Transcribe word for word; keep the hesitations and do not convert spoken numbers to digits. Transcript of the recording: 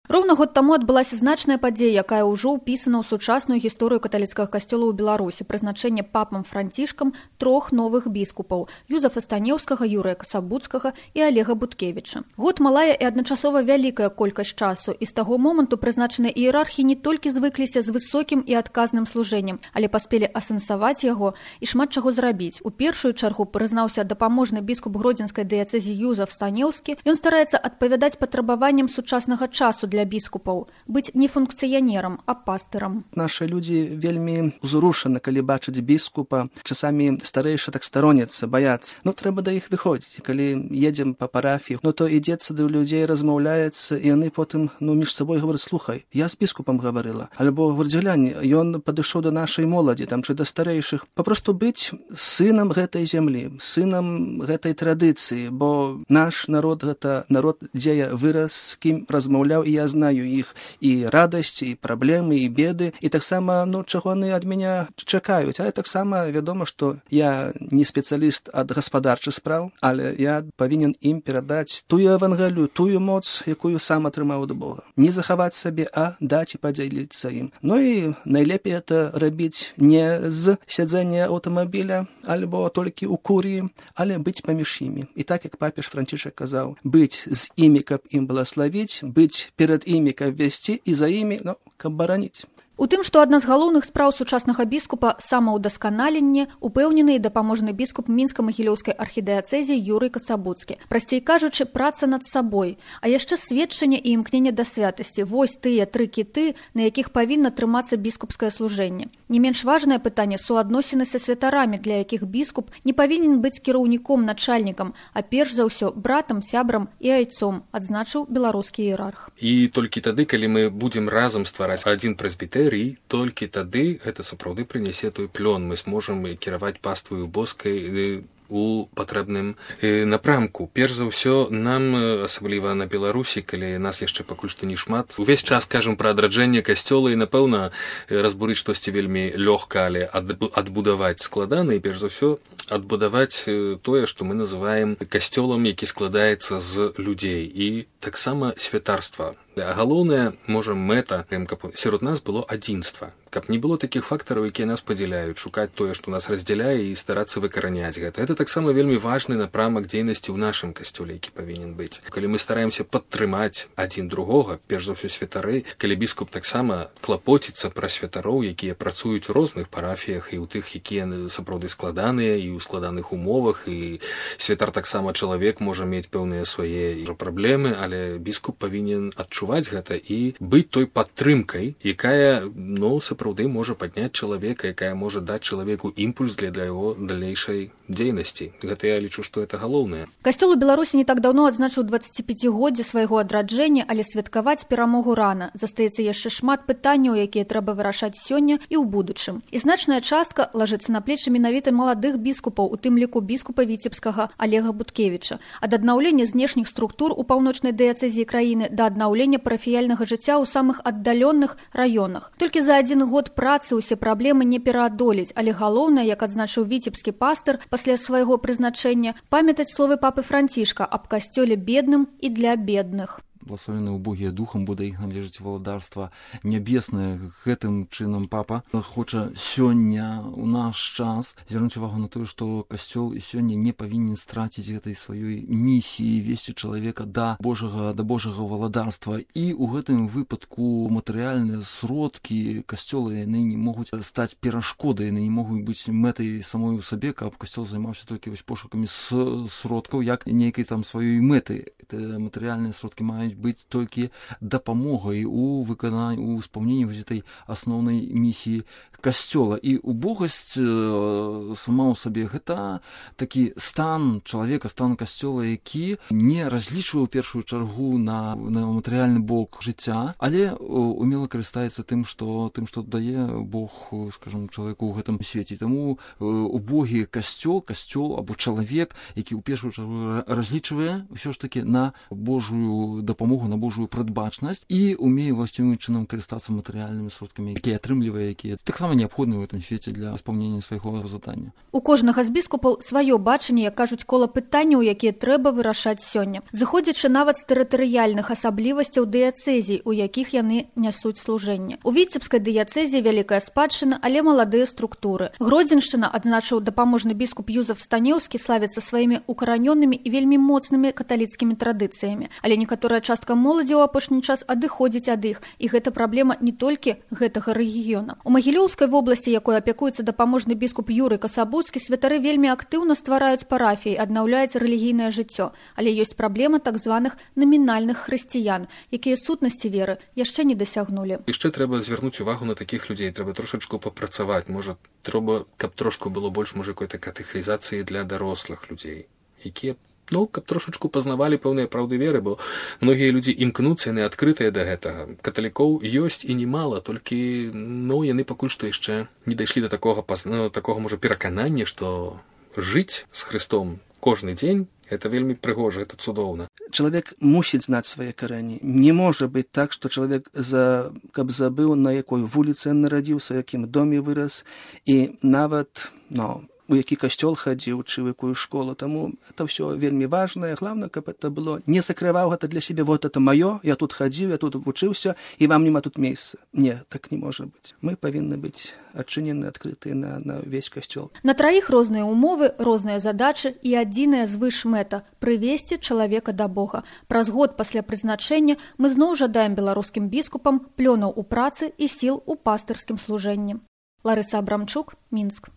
Роўна год таму адбылася значная падзея, якая ўжо ўпісана ў сучасную гісторыю каталіцкага касцёла ў Беларусі, прызначэнне папам Францішкам трох новых біскупаў – Юзафа Станеўскага, Юрыя Касабуцкага і Алега Буткевіча. Год малая і адначасова вялікая колькасць часу, і з таго моманту прызначаныя іерархі не толькі звыкліся з высокім і адказным служэннем, але паспелі асэнсаваць яго і шмат чаго зрабіць. У першую чаргу прызнаўся дапаможны біскуп гродзенскай дыяцэзі Юзаф Станеўскі. Ён стараецца адпавядаць патрабаванням сучаснага часу для біскупаў, быць не функцыянерам, а пастырам. Нашы людзі вельмі ўзрушаны, калі бачаць біскупа. Часамі старэйшы так староняцца, баяцца. Ну, трэба да іх выходзіць. Калі едзем па парафіі, ну, то ідзецца да людзей, размаўляецца, і яны потым, ну, між сабой говораць: слухай, я з біскупам гаварыла. Альбо, говорць, глянь, ён падышоў да нашай моладзі, там, чи да старэйшых. Папросту быць сынам гэтай зямлі, сынам гэтай традыцыі, бо наш народ — гэта народ, дзе я вырас, з кім размаўляў, і я знаю іх і радасці, і праблемы, і беды, і таксама, ну, чаго яны ад мяне чакаюць. Але таксама вядома, што я не спецыяліст ад гаспадарчых спраў, але я павінен ім перадаць тую евангелію, тую моц, якую сам атрымаў ад Бога. Не захаваць сабе, а даць і падзяліцца ім. Ну і найлепей это рабіць не з сядзення аўтамабіля альбо толькі ў куріі, але быць паміж імі. І так, як папіж Францішак казаў, быць з імі, каб ім благаславіць, быць перад імі, каб весці, і за імі, ну, каб бараніць. У тым, што адна з галоўных спраў сучаснага біскупа – самаўдасканаленне, упэўнены і дапаможны біскуп мінска-магілёўскай архідыяцэзі Юрый Касабуцкі. Прасцей кажучы, праца над сабой, а яшчэ сведчанне і імкненне да святасці. Вось тыя тры кіты, на якіх павінна трымацца біскупскае служэнне. Не менш важнае пытанне – суадносіны са святарамі, для якіх біскуп не павінен быць кіраўніком, начальнікам, а перш за ўсё братам, сябрам і айцом, адзначыў беларускі іерарх. І толькі тады, калі мы будзем разам ствараць адзін прэзбітэр, і толькі тады гэта сапраўды прынясе той плён. Мы зможам кіраваць пастваю боскай у патрэбным напрамку. Перш за ўсё, нам, асабліва на Беларусі, калі нас яшчэ пакуль што не шмат, увесь час кажам пра адраджэнне касцёла, і, напэўна, разбурыць штосьці вельмі лёгка, але адбудаваць складана, і перш за ўсё адбудаваць тое, што мы называем касцёлам, які складаецца з людзей, і таксама святарства. А галоўная, можа, мэта, каб сярод нас было адзінства, каб не было такіх фактараў, якія нас падзяляюць, шукаць тое, што нас раздзяляе, і старацца выкараняць гэта. Гэта таксама вельмі важны напрамак дзейнасці ў нашым касцёле, які павінен быць. Калі мы стараемся падтрымаць адзін другога, перш за ўсё святары, калі біскуп таксама клапоціцца пра святароў, якія працуюць у розных парафіях, і ў тых, якія сапраўды складаныя, і ў складаных умовах, і святар таксама чалавек можа мець пэўныя свае праблемы, але біскуп павінен адчуваць гэта і быць той падтрымкай, якая, ну, сапраўды можа падняць чалавека, якая можа даць чалавеку імпульс для яго далейшай дзейнасці. Гэта я лічу, што гэта галоўнае. Касцёл у Беларусі не так даўно адзначыў дваццаціпяцігоддзе свайго адраджэння, але святкаваць перамогу рана. Застаецца яшчэ шмат пытанняў, якія трэба вырашаць сёння і ў будучым. І значная частка лажыцца на плечы менавіта маладых біскупаў, у тым ліку біскупа віцебскага Алега Буткевіча. Ад аднаўлення знешніх структур у паўночнай дыяцэзіі краіны да аднаўлення парафіяльнага жыцця ў самых аддаленых раёнах. Толькі за адзін год працы ўсе праблемы не пераадолець, але галоўнае, як адзначыў віцебскі пастыр пасля свайго прызначэння, памятаць словы папы Францішка аб касцёле бедным і для бедных. Благословенные убогие духом, бо да іх належыць валадарства нябеснае. Гэтым чынам папа хоча сёння у наш час звярнуць увагу на тое, што касцёл і сёння не павінен страціць гэтай сваёй місіі весці чалавека да Божага, да Божага валадарства. І ў гэтым выпадку матэрыяльныя сродкі касцёла, яны не могуць стаць перашкодай, яны не могуць быць мэтай самой у сабе, каб касцёл займаўся толькі вось пошукамі сродкаў, як нейкай там сваёй мэты. Матэрыяльныя сродкі маюць быць толькі дапамогай у выкананні, у спаўненні гэтай асноўнай місіі касцёла. І убогасць э, сама ў сабе гэта такі стан чалавека, стан касцёла, які не разлічвае ў першую чаргу на, на матэрыяльны бок жыцця, але умела карыстаецца тым, што тым, што дае Бог, скажам, чалавеку ў гэтым свеце. Таму э, убогі касцёл, касцёл або чалавек, які ў першую чаргу разлічвае ўсё ж такі на Божую дапамогу дапамогу, на Божую прадбачнасць і умее ўласцівым чынам карыстацца матэрыяльнымі сродкамі, якія атрымлівае, якія таксама неабходныя ў гэтым свеце для спаўнення свайго задання. У кожнага з біскупаў сваё бачанне, як кажуць, кола пытанняў, якія трэба вырашаць сёння, зыходзячы нават з тэрытарыяльных асаблівасцяў дыяцэзій, у якіх яны нясуць служэнне. У Віцебскай дыяцэзіі вялікая спадчына, але маладыя структуры. Гродзеншчына, адзначыў дапаможны біскуп Юзеф Станеўскі, славіцца сваімі укаранёнымі і вельмі моцнымі каталіцкімі традыцыямі. Але некаторая частка моладзі ў апошні час адыходзіць ад іх, і гэта праблема не толькі гэтага рэгіёна. У Магілёўскай вобласці, якой апякуецца дапаможны біскуп Юрый Касабуцкі, святары вельмі актыўна ствараюць парафіі, аднаўляюць рэлігійнае жыццё. Але ёсць праблема так званых намінальных хрысціян, якія сутнасці веры яшчэ не дасягнулі. Яшчэ трэба звярнуць увагу на такіх людзей, трэба трошачку папрацаваць, можа, трэба, каб трошку было больш, можа, какой-то катэхізацыі для дарослых людзей, якія, ну, каб трошачку пазнавалі пэўныя праўды веры, бо многія людзі імкнуцца, яны адкрытыя да гэтага. Каталікоў ёсць і немала, толькі, ну, яны пакуль што яшчэ не дайшлі да такога, ну, такога, можа, пераканання, што жыць з Христом кожны дзень, это вельмі прыгожа, это цудоўна. Чалавек мусіць знаць свае карэні. Не можа быць так, што чалавек, за... каб забыў, на якой вуліцы ён нарадзіўся, у якім доме вырас, і нават, ну, у які касцёл хадзіў, ці ў якую школу. Таму это ўсё вельмі важнае. Главное, каб это было, не закрываў гэта для сябе, вот это маё, я тут хадзіў, я тут вучыўся, і вам няма тут месца. Не, так не можа быць. Мы павінны быць адчынены, адкрытыя на, на ўвесь касцёл. На траіх розныя ўмовы, розныя задачы і адзіная звыш мэта – прывесці чалавека да Бога. Праз год пасля прызначэння мы зноў жадаем беларускім біскупам плёнаў у працы і сіл у пастырскім служэнні. Ларыса Абрамчук, Мінск.